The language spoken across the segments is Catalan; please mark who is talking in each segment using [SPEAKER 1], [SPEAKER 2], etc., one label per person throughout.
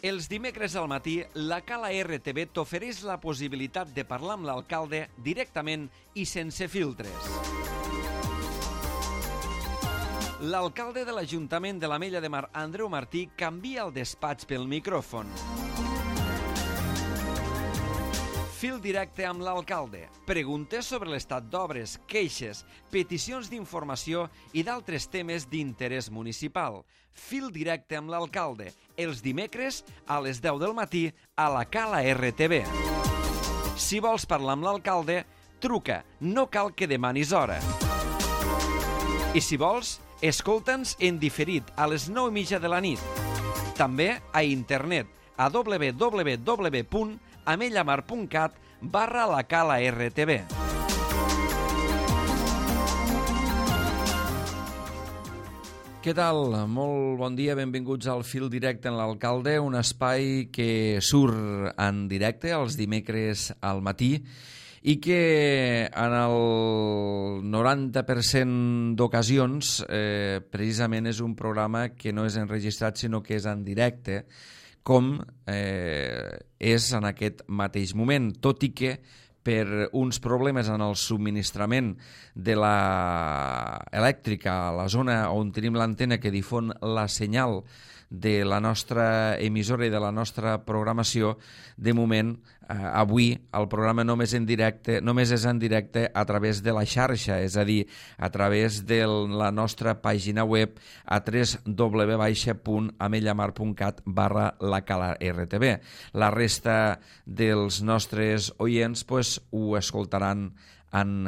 [SPEAKER 1] Els dimecres al matí, la Cala RTV t'ofereix la possibilitat de parlar amb l'alcalde directament i sense filtres. L'alcalde de l'Ajuntament de l'Ametlla de Mar, Andreu Martí, canvia el despatx pel micròfon. Fil directe amb l'alcalde. Preguntes sobre l'estat d'obres, queixes, peticions d'informació i d'altres temes d'interès municipal. Fil directe amb l'alcalde. Els dimecres a les 10 del matí a la Cala RTV. Si vols parlar amb l'alcalde, truca. No cal que demanis hora. I si vols, escolta'ns en diferit a les 9:30 de la nit. També a internet a www.amellamar.cat/la Cala RTV. Què tal? Molt bon dia, benvinguts al Fil Directe en l'Alcalde, un espai que surt en directe els dimecres al matí i que en el 90% d'ocasions precisament és un programa que no és enregistrat sinó que és en directe, com és en aquest mateix moment, tot i que per uns problemes en el subministrament de l'elèctrica a la zona on tenim l'antena que difon la senyal de la nostra emissora i de la nostra programació, de moment, avui el programa només és en directe a través de la xarxa, és a dir, a través de la nostra pàgina web a www.amellamar.cat/la Cala RTV. La resta dels nostres oients ho escoltaran en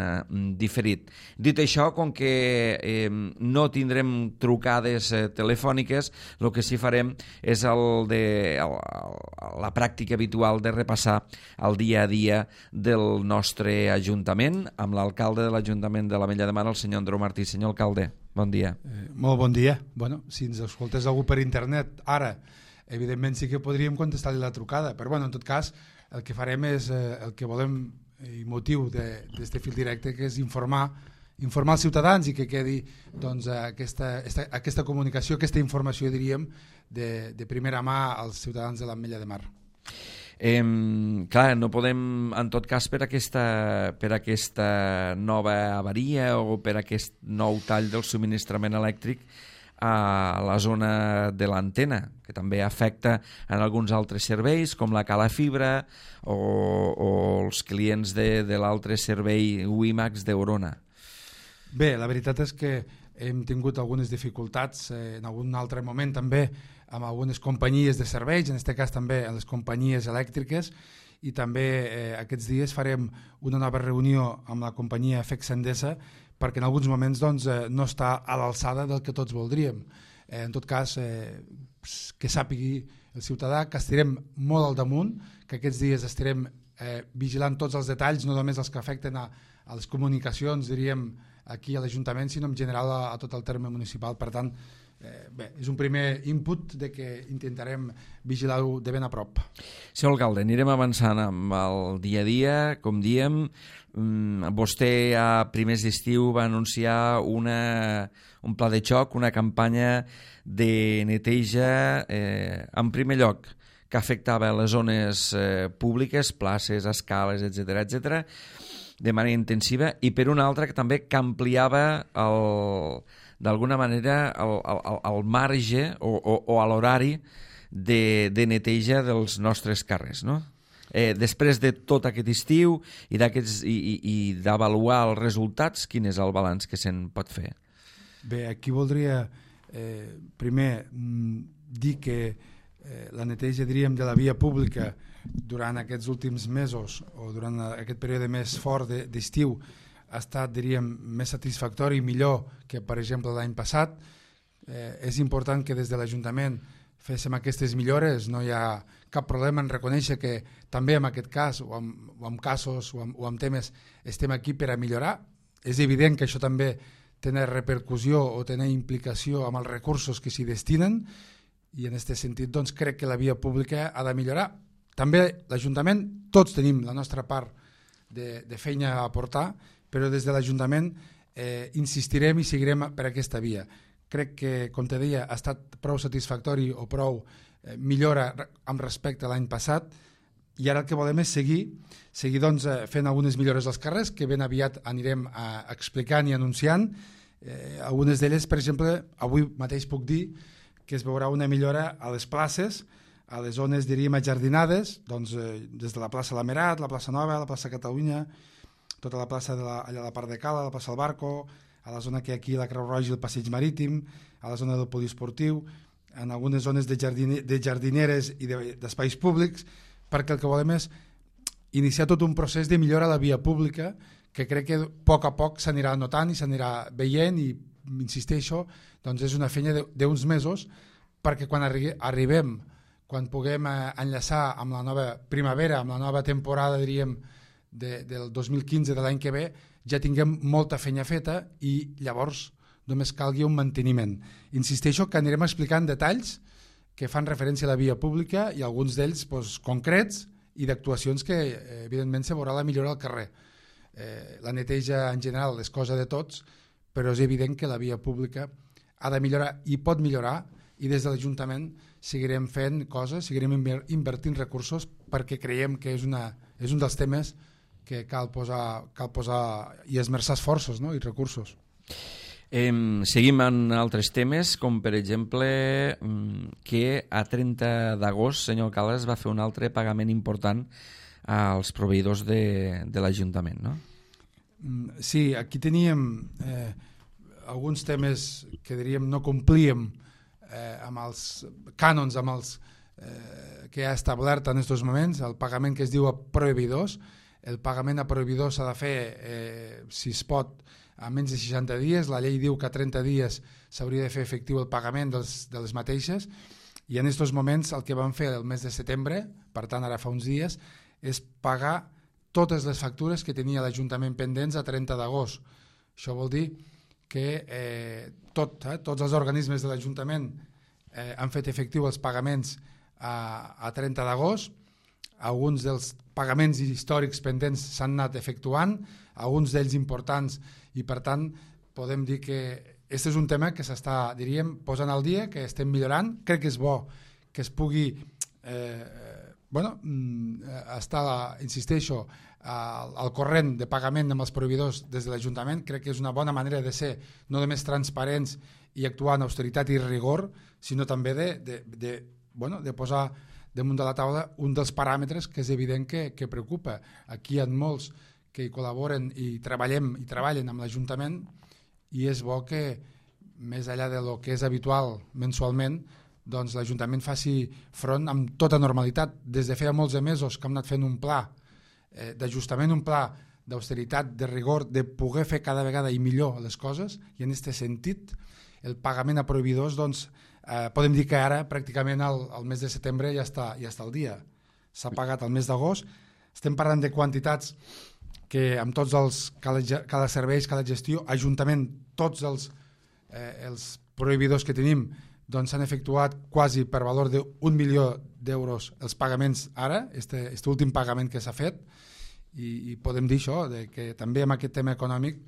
[SPEAKER 1] diferit. Dit això, com que no tindrem trucades telefòniques, el que sí farem és la pràctica habitual de repassar el dia a dia del nostre Ajuntament, amb l'alcalde de l'Ajuntament de l'Ametlla de Mar, el senyor Andreu Martí. Senyor alcalde, bon dia.
[SPEAKER 2] Molt bon dia. Bueno, si ens escoltés algú per internet ara, evidentment sí que podríem contestar-li la trucada, però en tot cas el que farem és el que volem i motiu d'aquest fil directe, que és informar els ciutadans i que quedi aquesta comunicació, aquesta informació, diríem, de primera mà als ciutadans de l'Ametlla de Mar.
[SPEAKER 1] Clar, no podem, en tot cas, per aquesta nova avaria o per aquest nou tall del subministrament elèctric a la zona de l'antena, que també afecta en alguns altres serveis com la Cala Fibra o els clients de l'altre servei WiMAX d'Eurona.
[SPEAKER 2] Bé, la veritat és que hem tingut algunes dificultats en algun altre moment també amb algunes companyies de serveis, en aquest cas també en les companyies elèctriques, i també aquests dies farem una nova reunió amb la companyia FEX Endesa perquè en alguns moments no està a l'alçada del que tots voldríem. En tot cas, que sàpigui el ciutadà que estarem molt al damunt, que aquests dies estarem vigilant tots els detalls, no només els que afecten a les comunicacions, diríem, aquí a l'Ajuntament, sinó en general a tot el terme municipal. Per tant, bé, és un primer input de que intentarem vigilar-ho de ben a prop.
[SPEAKER 1] Senyor alcalde, anirem avançant amb el dia a dia, com diem. Vostè a primers d'estiu va anunciar un pla de xoc, una campanya de neteja, en primer lloc, que afectava les zones públiques, places, escales, etc., de manera intensiva, i per una altra que també que ampliava d'alguna manera el marge o a l'horari de neteja dels nostres carrers, no? Després de tot aquest estiu i d'avaluar els resultats, quin és el balanç que se'n pot fer?
[SPEAKER 2] Bé, aquí voldria primer dir que la neteja, diríem, de la via pública durant aquests últims mesos o durant aquest període més fort d'estiu ha estat, diríem, més satisfactori i millor que, per exemple, l'any passat. És important que des de l'Ajuntament féssim aquestes millores, no hi ha cap problema en reconèixer que també en aquest cas o en casos o en temes estem aquí per a millorar. És evident que això també té repercussió o té implicació amb els recursos que s'hi destinen i en aquest sentit doncs, crec que la via pública ha de millorar. També l'Ajuntament, tots tenim la nostra part de feina a aportar, però des de l'Ajuntament insistirem i seguirem per aquesta via. crec que, com te deia, ha estat prou satisfactori o prou millora amb respecte a l'any passat, i ara el que volem és seguir doncs, fent algunes millores als carrers que ben aviat anirem explicant i anunciant. Algunes d'elles, per exemple, avui mateix puc dir que es veurà una millora a les places, a les zones, diríem, ajardinades, doncs, des de la plaça Lamerat, la plaça Nova, la plaça Catalunya, tota la plaça allà a la part de Cala, la plaça del Barco, a la zona que hi ha aquí la Creu Roja i el Passeig Marítim, a la zona del poliesportiu, en algunes zones de jardineres i d'espais públics, perquè el que volem és iniciar tot un procés de millora a la via pública que crec que a poc s'anirà notant i s'anirà veient, i insisteixo, doncs és una feina d'uns mesos, perquè quan arribem, quan puguem enllaçar amb la nova primavera, amb la nova temporada, diríem, del 2015, de l'any que ve, ja tinguem molta feina feta i llavors només calgui un manteniment. Insisteixo que anirem explicant detalls que fan referència a la via pública i alguns d'ells concrets i d'actuacions que evidentment se veurà la millora al carrer. La neteja en general és cosa de tots, però és evident que la via pública ha de millorar i pot millorar, i des de l'Ajuntament seguirem fent coses, seguirem invertint recursos, perquè creiem que és un dels temes que cal posar i esmerçar esforços, no? I recursos.
[SPEAKER 1] Seguim en altres temes, com per exemple que a 30 d'agost, senyor alcalde, es va fer un altre pagament important als proveïdors de l'Ajuntament, no?
[SPEAKER 2] Sí, aquí teníem alguns temes que diríem no complíem amb els cànons, amb els que ha establert en aquests moments, el pagament que es diu a proveïdors. El pagament a proveïdors s'ha de fer, si es pot, a menys de 60 dies. La llei diu que a 30 dies s'hauria de fer efectiu el pagament de les mateixes, i en aquests moments el que vam fer el mes de setembre, per tant ara fa uns dies, és pagar totes les factures que tenia l'Ajuntament pendents a 30 d'agost. Això vol dir que tots els organismes de l'Ajuntament han fet efectiu els pagaments a 30 d'agost. Alguns dels pagaments històrics pendents s'han anat efectuant, alguns d'ells importants, i per tant podem dir que aquest és un tema que s'està, diríem, posant al dia, que estem millorant. Crec que és bo que es pugui estar, insisteixo, al corrent de pagament amb els proveïdors des de l'Ajuntament. Crec que és una bona manera de ser no només transparents i actuar en austeritat i rigor, sinó també de posar damunt de la taula un dels paràmetres que és evident que preocupa. Aquí hi ha molts que hi col·laboren i treballen amb l'Ajuntament, i és bo que, més enllà del que és habitual mensualment, doncs l'Ajuntament faci front amb tota normalitat. Des de feia molts de mesos que hem anat fent un pla d'ajustament, un pla d'austeritat, de rigor, de poder fer cada vegada i millor les coses, i en aquest sentit el pagament a proveïdors, doncs, podem dir que ara pràcticament el mes de setembre ja està al dia. S'ha pagat el mes d'agost. Estem parlant de quantitats que amb tots cada serveis, cada gestió, Ajuntament, tots els proveïdors que tenim, doncs s'han efectuat quasi per valor d'1 milió d'euros els pagaments ara, este últim pagament que s'ha fet, i podem dir això, que també amb aquest tema econòmic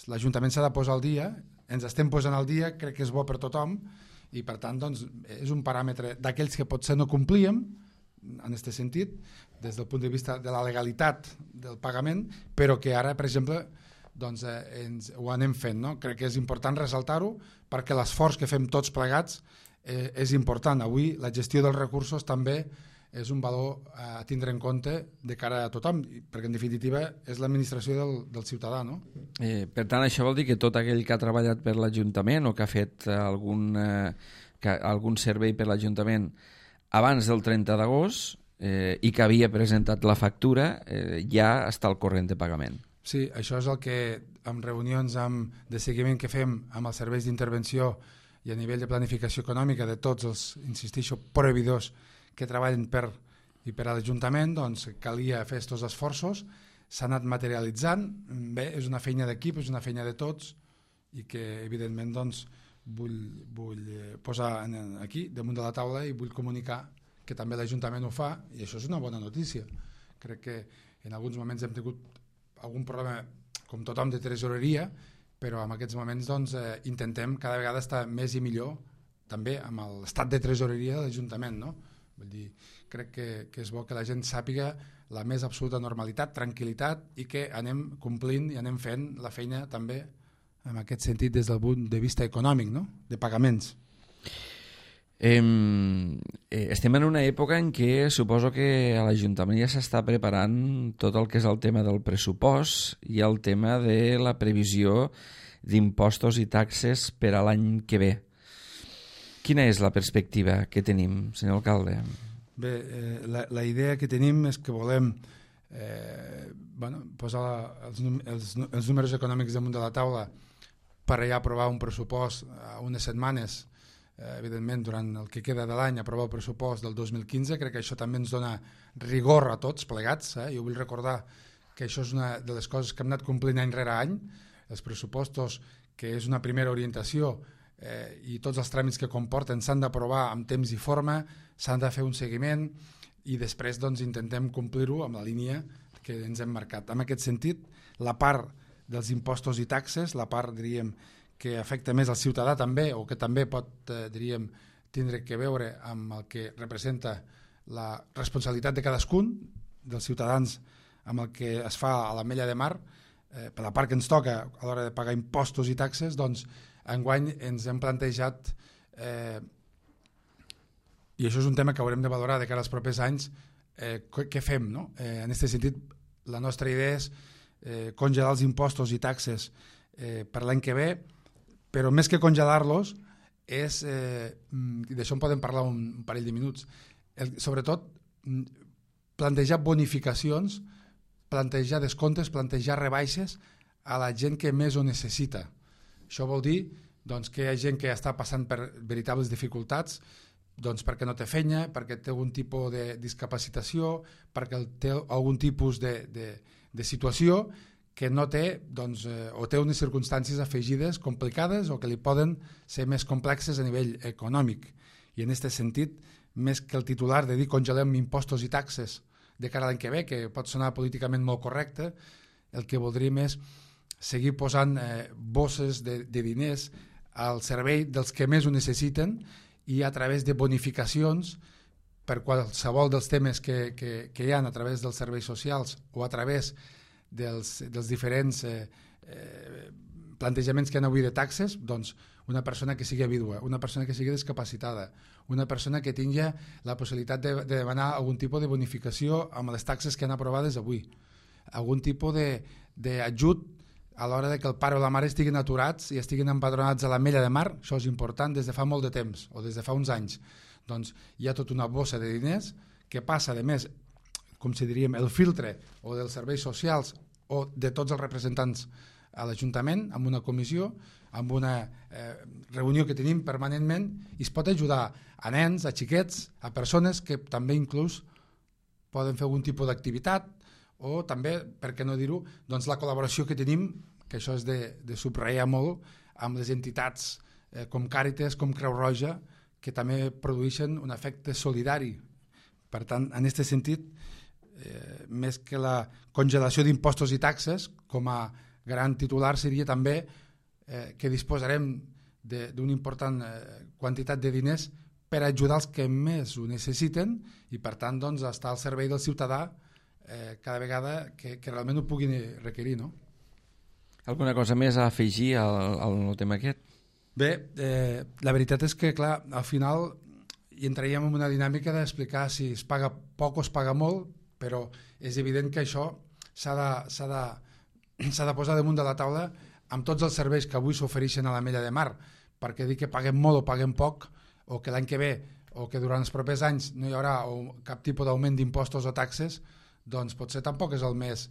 [SPEAKER 2] l'Ajuntament s'ha de posar al dia, ens estem posant al dia, crec que és bo per tothom, i per tant doncs, és un paràmetre d'aquells que potser no complíem en aquest sentit, des del punt de vista de la legalitat del pagament, però que ara, per exemple, doncs, ho anem fent, no? Crec que és important ressaltar-ho, perquè l'esforç que fem tots plegats és important. Avui la gestió dels recursos també és un valor a tindre en compte de cara a tothom, perquè en definitiva és l'administració del ciutadà, no?
[SPEAKER 1] Per tant, això vol dir que tot aquell que ha treballat per l'Ajuntament o que ha fet algun servei per l'Ajuntament abans del 30 d'agost i que havia presentat la factura ja està al corrent de pagament.
[SPEAKER 2] Sí, això és el que en reunions de seguiment que fem amb els serveis d'intervenció i a nivell de planificació econòmica de tots els, insisteixo, proveïdors que treballen per a l'Ajuntament, doncs calia fer aquests esforços, s'ha anat materialitzant. Bé, és una feina d'equip, és una feina de tots, i que evidentment doncs, vull posar aquí damunt de la taula i vull comunicar que també l'Ajuntament ho fa, i això és una bona notícia. Crec que en alguns moments hem tingut algun problema, com tothom, de tresoreria, però en aquests moments doncs, intentem cada vegada estar més i millor també amb l'estat de tresoreria de l'Ajuntament, no? Vull dir, crec que és bo que la gent sàpiga la més absoluta normalitat, tranquil·litat, i que anem complint i anem fent la feina també en aquest sentit des del punt de vista econòmic, no? De pagaments.
[SPEAKER 1] Estem en una època en què suposo que a l'Ajuntament ja s'està preparant tot el que és el tema del pressupost i el tema de la previsió d'impostos i taxes per a l'any que ve. Quina és la perspectiva que tenim, senyor alcalde?
[SPEAKER 2] Bé, la idea que tenim és que volem posar els números econòmics damunt de la taula per ja aprovar un pressupost a unes setmanes, evidentment durant el que queda de l'any, aprovar el pressupost del 2015. Crec que això també ens dona rigor a tots plegats. Jo vull recordar que això és una de les coses que hem anat complint any rere any, els pressupostos, que és una primera orientació, i tots els tràmits que comporten s'han d'aprovar amb temps i forma, s'han de fer un seguiment i després doncs, intentem complir-ho amb la línia que ens hem marcat. En aquest sentit, la part dels impostos i taxes, la part, diríem, que afecta més al ciutadà també, o que també pot, diríem, tindre que veure amb el que representa la responsabilitat de cadascun dels ciutadans amb el que es fa a l'Ametlla de Mar, per la part que ens toca a l'hora de pagar impostos i taxes, doncs enguany ens hem plantejat, i això és un tema que haurem de valorar de cara als propers anys, què fem, no? En aquest sentit, la nostra idea és congelar els impostos i taxes per l'any que ve, però més que congelar-los és, d'això en podem parlar un parell de minuts, sobretot plantejar bonificacions, plantejar descomptes, plantejar rebaixes a la gent que més ho necessita. Això vol dir doncs, que hi ha gent que està passant per veritables dificultats, doncs, perquè no té feina, perquè té algun tipus de discapacitació, perquè té algun tipus de situació que no té, doncs, o té unes circumstàncies afegides complicades o que li poden ser més complexes a nivell econòmic. I en aquest sentit, més que el titular de dir congelem impostos i taxes de cara a l'any que ve, que pot sonar políticament molt correcte, el que voldríem és seguir posant bosses de diners al servei dels que més ho necessiten i a través de bonificacions per qualsevol dels temes que hi ha a través dels serveis socials o a través dels diferents plantejaments que hi ha avui de taxes, doncs una persona que sigui vídua, una persona que sigui discapacitada, una persona que tingui la possibilitat de demanar algun tipus de bonificació amb les taxes que han aprovades avui, algun tipus d'ajut a l'hora que el pare o la mare estiguin aturats i estiguin empadronats a l'Ametlla de Mar. Això és important des de fa molt de temps o des de fa uns anys. Doncs hi ha tota una bossa de diners que passa, a més, com si diríem, el filtre o dels serveis socials o de tots els representants a l'Ajuntament, amb una comissió, amb una reunió que tenim permanentment, i es pot ajudar a nens, a xiquets, a persones que també inclús poden fer algun tipus d'activitat, o també, per què no dir-ho, doncs la col·laboració que tenim, que això és de subratllar molt, amb les entitats com Càritas, com Creu Roja, que també produeixen un efecte solidari. Per tant, en aquest sentit, més que la congelació d'impostos i taxes, com a gran titular seria també que disposarem d'una important quantitat de diners per ajudar els que més ho necessiten i, per tant, doncs, estar al servei del ciutadà cada vegada que realment ho puguin requerir, no?
[SPEAKER 1] Alguna cosa més a afegir al tema aquest?
[SPEAKER 2] Bé, la veritat és que, clar, al final hi entraríem en una dinàmica d'explicar si es paga poc o es paga molt, però és evident que això s'ha de posar damunt de la taula amb tots els serveis que avui s'ofereixen a l'Ametlla de Mar, perquè dir que paguem molt o paguem poc, o que l'any que ve o que durant els propers anys no hi haurà cap tipus d'augment d'impostos o taxes, doncs potser tampoc és el més...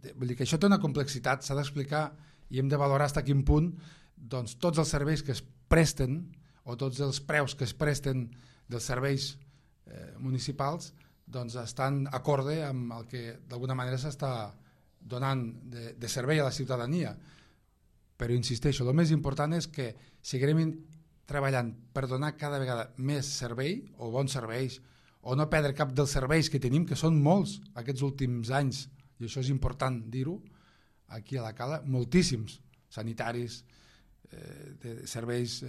[SPEAKER 2] Vull dir que això té una complexitat, s'ha d'explicar i hem de valorar fins a quin punt doncs, tots els serveis que es presten o tots els preus que es presten dels serveis municipals doncs, estan acorde amb el que d'alguna manera s'està donant de servei a la ciutadania. Però insisteixo, el més important és que seguirem treballant per donar cada vegada més servei o bons serveis o no perdre cap dels serveis que tenim, que són molts aquests últims anys, i això és important dir-ho aquí a la Cala, moltíssims sanitaris, de serveis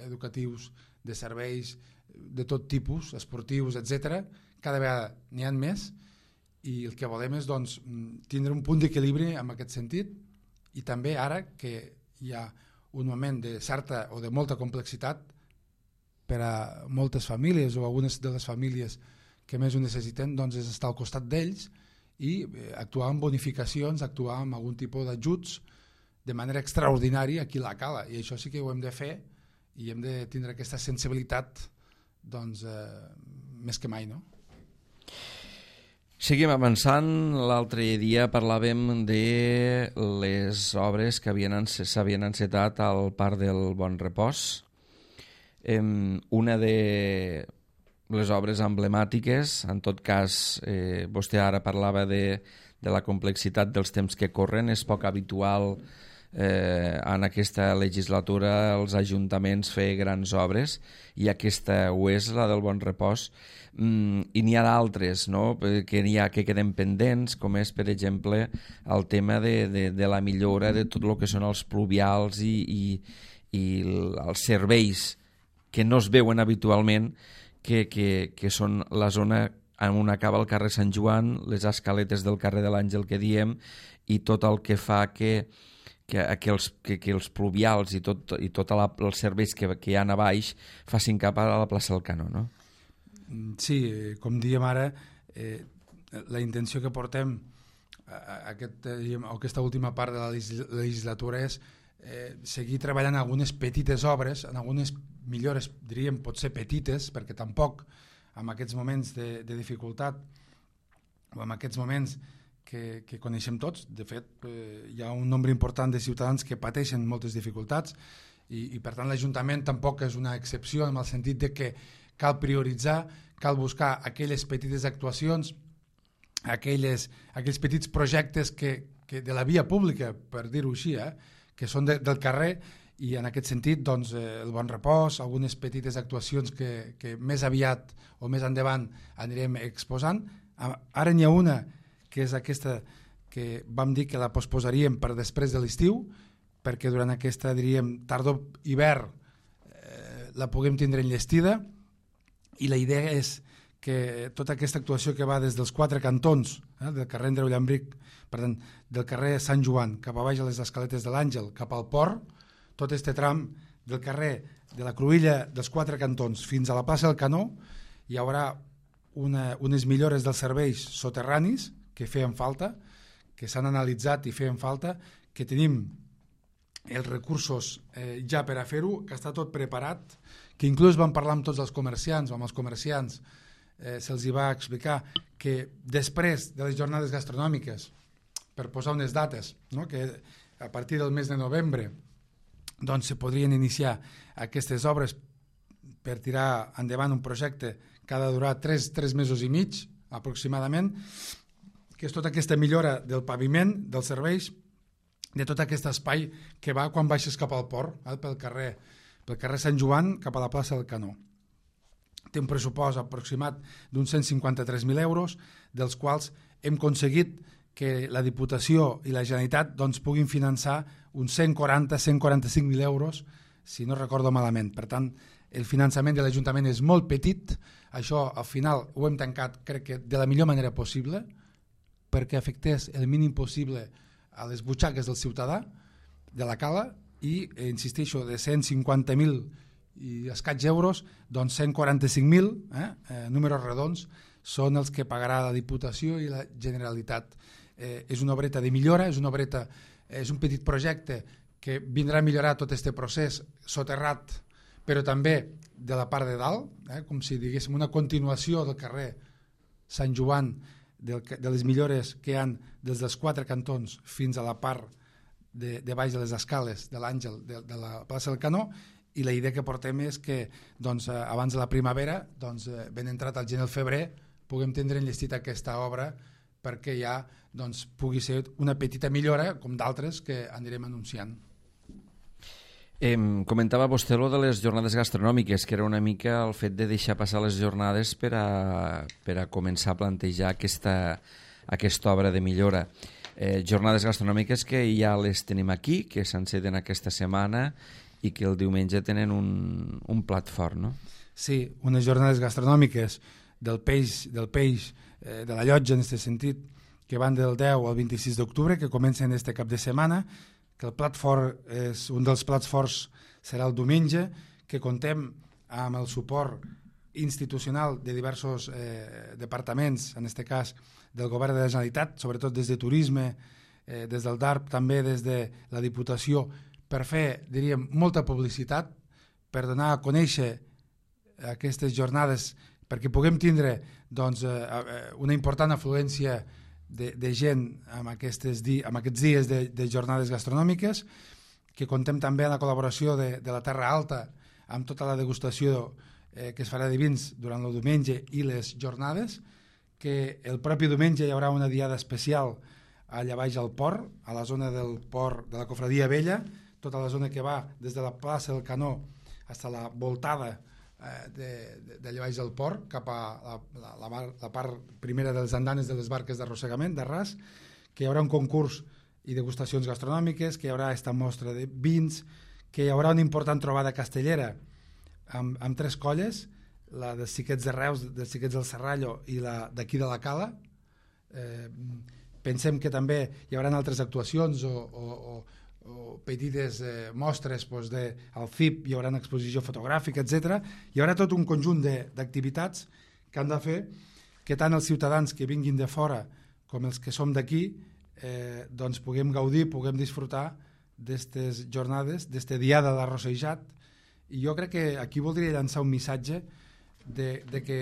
[SPEAKER 2] educatius, de serveis de tot tipus, esportius, etc. Cada vegada n'hi ha més i el que volem és doncs, tindre un punt d'equilibri en aquest sentit i també ara que hi ha un moment de certa o de molta complexitat per a moltes famílies o algunes de les famílies que més ho necessiten, doncs és estar al costat d'ells i actuar amb bonificacions, actuar amb algun tipus d'ajuts de manera extraordinària a qui la cala, i això sí que ho hem de fer i hem de tindre aquesta sensibilitat doncs, més que mai, no?
[SPEAKER 1] Seguim avançant. L'altre dia parlàvem de les obres que s'havien encetat al Parc del Bon Repòs. Una de les obres emblemàtiques, en tot cas, vostè ara parlava de la complexitat dels temps que corren, és poc habitual en aquesta legislatura els ajuntaments fer grans obres i aquesta ho és, la del Bon Repòs, i n'hi ha d'altres, no? que queden pendents, com és per exemple el tema de la millora de tot el que són els pluvials i els serveis que no es veuen habitualment, que són la zona on acaba el carrer Sant Joan, les escaletes del carrer de l'Àngel que diem, i tot el que fa que els pluvials i tots els serveis que hi ha a baix facin cap a la plaça del Canó, no?
[SPEAKER 2] Sí, com diem ara, la intenció que portem a aquesta última part de la legislatura és seguir treballant en algunes petites obres, en algunes millores, diríem, potser petites, perquè tampoc en aquests moments de dificultat o en aquests moments que coneixem tots, de fet hi ha un nombre important de ciutadans que pateixen moltes dificultats i per tant l'Ajuntament tampoc és una excepció en el sentit de que cal prioritzar, cal buscar aquelles petites actuacions, aquells petits projectes que de la via pública, per dir-ho així, que són del carrer, i en aquest sentit doncs, el Bon Repòs, algunes petites actuacions que més aviat o més endavant anirem exposant. Ara n'hi ha una que és aquesta que vam dir que la posposaríem per després de l'estiu, perquè durant aquesta, diríem, tardor-hivern la puguem tindre enllestida, i la idea és que tota aquesta actuació que va des dels 4 cantons, del carrer Andreu Llambric, per tant, del carrer Sant Joan cap a baix a les escaletes de l'Àngel, cap al port, tot este tram del carrer de la Cruïlla dels 4 cantons fins a la plaça del Canó, hi haurà unes millores dels serveis soterranis que feien falta, que s'han analitzat i feien falta, que tenim els recursos ja per a fer-ho, que està tot preparat, que inclús vam parlar amb tots els comerciants, amb els comerciants se'ls va explicar que després de les jornades gastronòmiques, per posar unes dates, no? Que a partir del mes de novembre doncs se podrien iniciar aquestes obres per tirar endavant un projecte que ha de durar 3 mesos i mig aproximadament, que és tota aquesta millora del paviment, dels serveis, de tot aquest espai que va quan baixes cap al port, pel carrer Sant Joan cap a la plaça del Canó. Té un pressupost aproximat d'uns 153.000 euros, dels quals hem aconseguit que la Diputació i la Generalitat doncs, puguin finançar uns 145.000 euros, si no recordo malament. Per tant, el finançament de l'Ajuntament és molt petit, això al final ho hem tancat, crec que de la millor manera possible, perquè afectés el mínim possible a les butxaques del ciutadà de la cala i, insisteixo, de 150.000 i escaig euros, doncs 145.000, números redons, són els que pagarà la Diputació i la Generalitat. És una obreta de millora, és un petit projecte que vindrà a millorar tot aquest procés soterrat, però també de la part de dalt, com si diguéssim una continuació del carrer Sant Joan, de les millores que hi ha des dels 4 cantons fins a la part de baix de les escales de l'Àngel, de la plaça del Canó, i la idea que portem és que doncs, abans de la primavera, doncs, ben entrat al gener o febrer, puguem tindre enllestida aquesta obra perquè ja doncs, pugui ser una petita millora, com d'altres que anirem anunciant.
[SPEAKER 1] Comentava vostè lo de les jornades gastronòmiques, que era una mica el fet de deixar passar les jornades per a començar a plantejar aquesta obra de millora. jornades gastronòmiques que ja les tenim aquí, que s'enceten aquesta setmana i que el diumenge tenen un plat fort, no?
[SPEAKER 2] Sí, unes jornades gastronòmiques del peix, de la llotja en aquest sentit, que van del 10 al 26 d'octubre, que comencen este cap de setmana, que el plat fort un dels plats forts serà el diumenge, que contem amb el suport institucional de diversos departaments, en aquest cas del Govern de la Generalitat, sobretot des de Turisme, des del DARP, també des de la Diputació, per fer, diríem, molta publicitat, per donar a conèixer aquestes jornades, perquè puguem tindre doncs, una important afluència de gent amb aquests dies de jornades gastronòmiques, que contem també amb la col·laboració de la Terra Alta, amb tota la degustació que es farà de vins durant el diumenge i les jornades, que el propi diumenge hi haurà una diada especial allà baix al port, a la zona del port de la Cofradia Vella, tota la zona que va des de la plaça del Canó fins a la voltada d'allà baix del port, cap a la part primera de les andanes de les barques d'arrossegament, d'arràs, que hi haurà un concurs i degustacions gastronòmiques, que hi haurà esta mostra de vins, que hi haurà una important trobada castellera amb 3 colles, la dels xiquets de Reus, dels xiquets del Serrallo i la d'aquí de la Cala. Pensem que també hi haurà altres actuacions o petites mostres al FIP, hi haurà una exposició fotogràfica, etc. Hi haurà tot un conjunt d'activitats que han de fer que tant els ciutadans que vinguin de fora com els que som d'aquí doncs puguem gaudir, puguem disfrutar d'aquestes jornades, d'aquesta diada d'arrossejat. I jo crec que aquí voldria llançar un missatge de que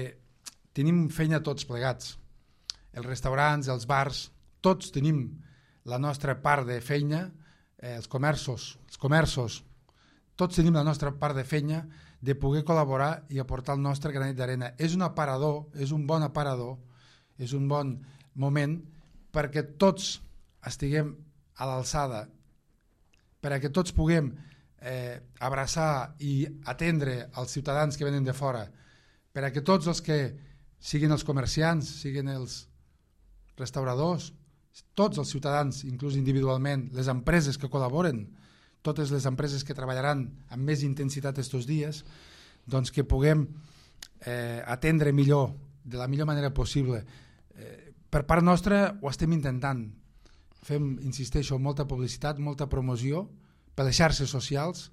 [SPEAKER 2] tenim feina tots plegats. Els restaurants, els bars, tots tenim la nostra part de feina, els comerços, tots tenim la nostra part de feina de poder col·laborar i aportar el nostre granet d'arena. És un aparador, és un bon aparador, és un bon moment perquè tots estiguem a l'alçada, perquè tots puguem abraçar i atendre els ciutadans que venen de fora, perquè tots els que siguin els comerciants, siguin els restauradors, tots els ciutadans, inclús individualment, les empreses que col·laboren, totes les empreses que treballaran amb més intensitat estos dies, doncs que puguem atendre millor, de la millor manera possible. Per part nostra ho estem intentant. Fem, insisteixo, molta publicitat, molta promoció per les xarxes socials,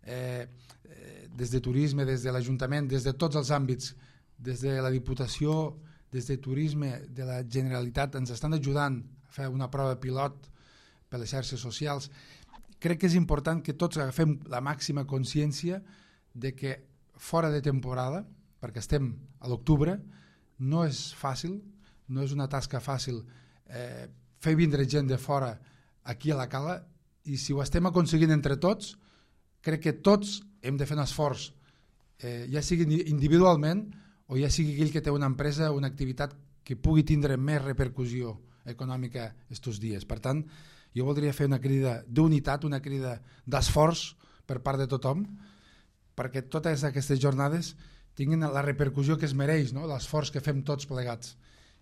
[SPEAKER 2] des de turisme, des de l'Ajuntament, des de tots els àmbits, des de la Diputació, des de Turisme, de la Generalitat, ens estan ajudant a fer una prova pilot per les xarxes socials. Crec que és important que tots agafem la màxima consciència de que fora de temporada, perquè estem a l'octubre, no és fàcil, no és una tasca fàcil fer vindre gent de fora aquí a la Cala, i si ho estem aconseguint entre tots, crec que tots hem de fer un esforç, ja sigui individualment o ja sigui aquell que té una empresa, una activitat que pugui tindre més repercussió econòmica estos dies. Per tant, jo voldria fer una crida d'unitat, una crida d'esforç per part de tothom, perquè totes aquestes jornades tinguin la repercussió que es mereix, no? L'esforç que fem tots plegats.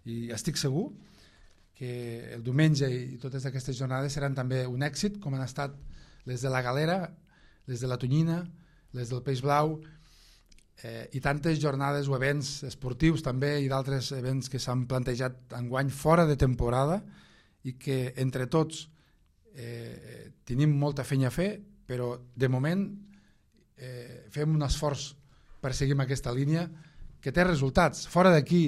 [SPEAKER 2] I estic segur que el diumenge i totes aquestes jornades seran també un èxit, com han estat les de la Galera, les de la Tonyina, les del Peix Blau, i tantes jornades o events esportius també i d'altres events que s'han plantejat enguany fora de temporada i que entre tots tenim molta feina a fer, però de moment fem un esforç per seguir amb aquesta línia que té resultats. Fora d'aquí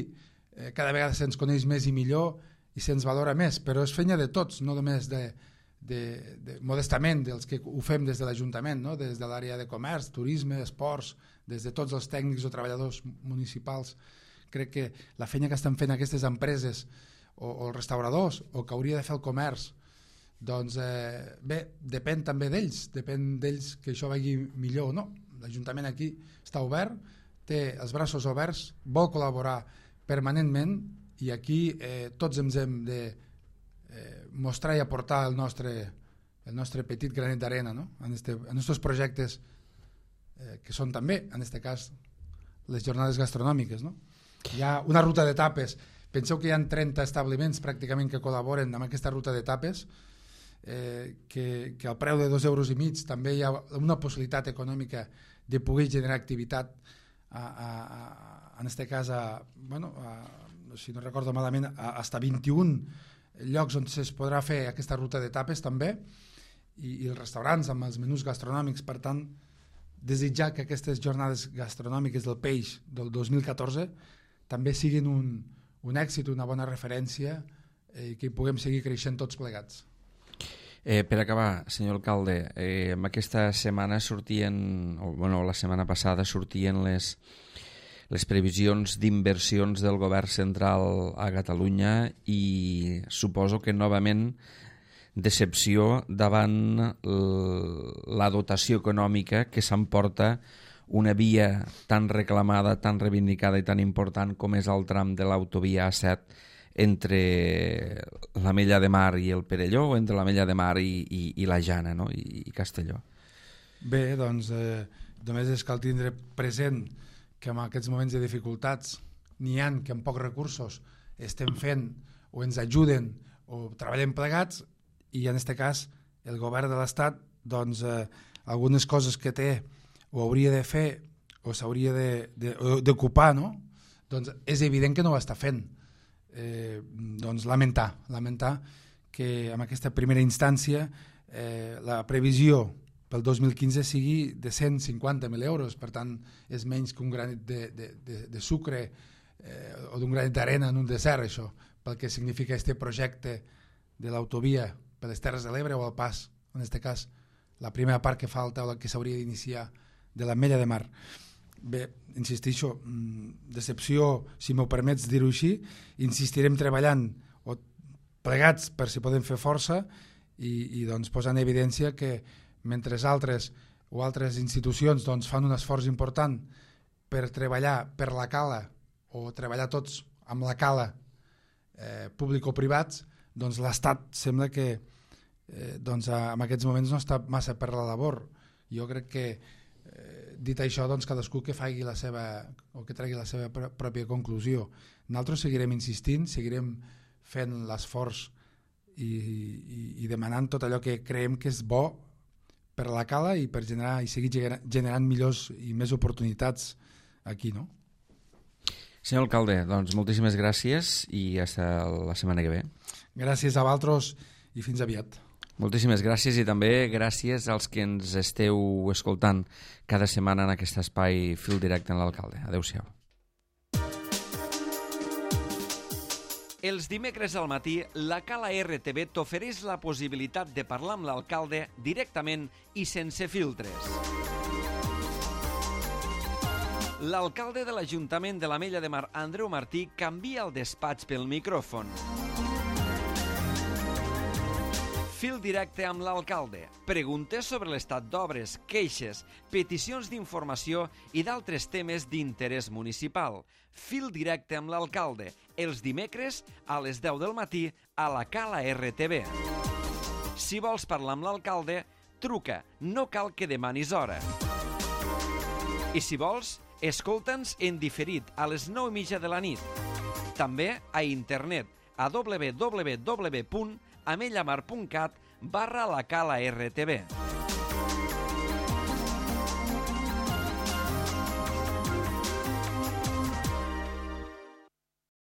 [SPEAKER 2] cada vegada se'ns coneix més i millor i se'ns valora més, però és feina de tots, no només modestament dels que ho fem des de l'Ajuntament, no? Des de l'àrea de comerç, turisme, esports, des de tots els tècnics o treballadors municipals. Crec que la feina que estan fent aquestes empreses o els restauradors o que hauria de fer el comerç, doncs bé, depèn també d'ells, depèn d'ells que això vagi millor o no. L'Ajuntament aquí està obert, té els braços oberts, vol col·laborar permanentment i aquí tots ens hem de mostrar i aportar el nostre petit granet d'arena, no? en aquests projectes que són també, en aquest cas, les jornades gastronòmiques. No? Hi ha una ruta d'etapes. Penseu que hi ha 30 establiments pràcticament que col·laboren amb aquesta ruta d'etapes, que al preu de 2,5 euros també hi ha una possibilitat econòmica de poder generar activitat en aquest cas si no recordo malament hasta 21 llocs on es podrà fer aquesta ruta d'etapes també, i els restaurants amb els menús gastronòmics. Per tant, desitjar que aquestes jornades gastronòmiques del peix del 2014 també siguin un èxit, una bona referència, i que puguem seguir creixent tots plegats.
[SPEAKER 1] Per acabar, senyor alcalde, en aquesta setmana la setmana passada sortien les previsions d'inversions del govern central a Catalunya i suposo que novament decepció davant la dotació econòmica que s'emporta una via tan reclamada, tan reivindicada i tan important com és el tram de l'autovia A7 entre l'Ametlla de Mar i el Perelló, o entre l'Ametlla de Mar i la Jana, no? I Castelló.
[SPEAKER 2] Bé, doncs només és cal tindre present que en aquests moments de dificultats n'hi ha que amb pocs recursos estem fent o ens ajuden o treballem plegats, i en aquest cas el govern de l'Estat doncs algunes coses que té o hauria de fer o s'hauria d'ocupar, no? Doncs és evident que no ho està fent. Doncs lamentar que en aquesta primera instància la previsió pel 2015 sigui de 150.000 euros, per tant és menys que un granet de sucre o d'un granet d'arena en un desert, això, pel que significa aquest projecte de l'autovia per les Terres de l'Ebre o el pas, en aquest cas la primera part que falta o la que s'hauria d'iniciar de l'Ametlla de Mar. Bé, insisteixo, decepció, si m'ho permets dir-ho així. Insistirem treballant plegats per si podem fer força i doncs posar en evidència que mentre altres o altres institucions doncs, fan un esforç important per treballar per la cala o treballar tots amb la cala públic o privats, doncs l'Estat sembla que doncs, en aquests moments no està massa per la labor. Jo crec que dit això, doncs cadascú que faci la seva o que tregui la seva pròpia conclusió. Nosaltres seguirem insistint, seguirem fent l'esforç i demanant tot allò que creiem que és bo per la cala i per generar i seguir generant millors i més oportunitats aquí, no?
[SPEAKER 1] Senyor alcalde, doncs moltíssimes gràcies i fins la setmana que ve.
[SPEAKER 2] Gràcies a vosaltres i fins aviat.
[SPEAKER 1] Moltíssimes gràcies i també gràcies als que ens esteu escoltant cada setmana en aquest espai Fil Directe amb l'alcalde. Adéu-siau. Els dimecres al matí, la Cala RTV t'ofereix la possibilitat de parlar amb l'alcalde directament i sense filtres. L'alcalde de l'Ajuntament de l'Ametlla de Mar, Andreu Martí, canvia el despatx pel micròfon. Fil directe amb l'alcalde. Preguntes sobre l'estat d'obres, queixes, peticions d'informació i d'altres temes d'interès municipal. Fil directe amb l'alcalde. Els dimecres a les 10 del matí a la Cala RTV. Si vols parlar amb l'alcalde, truca. No cal que demanis hora. I si vols, escolta'ns en diferit a les 9:30 de la nit. També a internet a www.amellamar.cat/la Cala RTV.